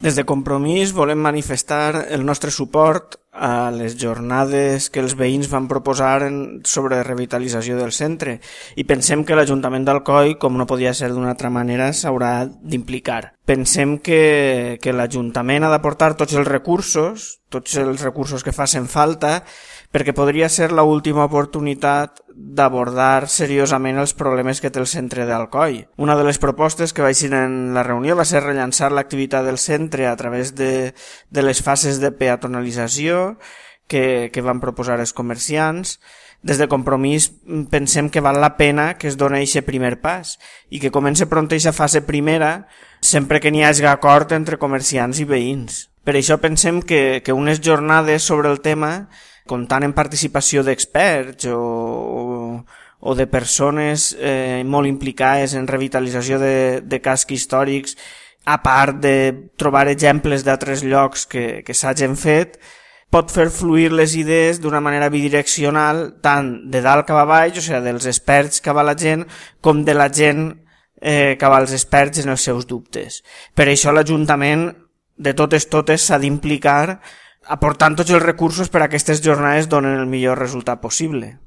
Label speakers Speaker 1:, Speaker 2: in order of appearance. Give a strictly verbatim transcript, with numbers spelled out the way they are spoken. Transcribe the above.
Speaker 1: Des de Compromís volem manifestar el nostre suport a les jornades que els veïns van proposar sobre revitalització del centre i pensem que l'Ajuntament d'Alcoi, com no podia ser d'una altra manera, s'haurà d'implicar. Pensem que, que l'Ajuntament ha d'aportar tots els recursos, tots els recursos que facin falta, perquè podria ser l'última oportunitat d'abordar seriosament els problemes que té el centre d'Alcoi. Una de les propostes que vaig dir en la reunió va ser rellançar l'activitat del centre a través de, de les fases de peatonalització que, que van proposar els comerciants. Des de Compromís pensem que val la pena que es doni aquest primer pas i que comenci pront aquesta fase primera sempre que n'hi hagi acord entre comerciants i veïns. Per això pensem que, que unes jornades sobre el tema, comptant en participació d'experts o, o, o de persones eh, molt implicades en revitalització de, de cascs històrics, a part de trobar exemples d'altres llocs que, que s'hagin fet, pot fer fluir les idees d'una manera bidireccional, tant de dalt cap a baix, o sigui, dels experts cap a la gent, com de la gent eh, cap als experts en els seus dubtes. Per això l'Ajuntament, de totes totes, s'ha d'implicar aportant tots els recursos per a aquestes jornades donen el millor resultat possible.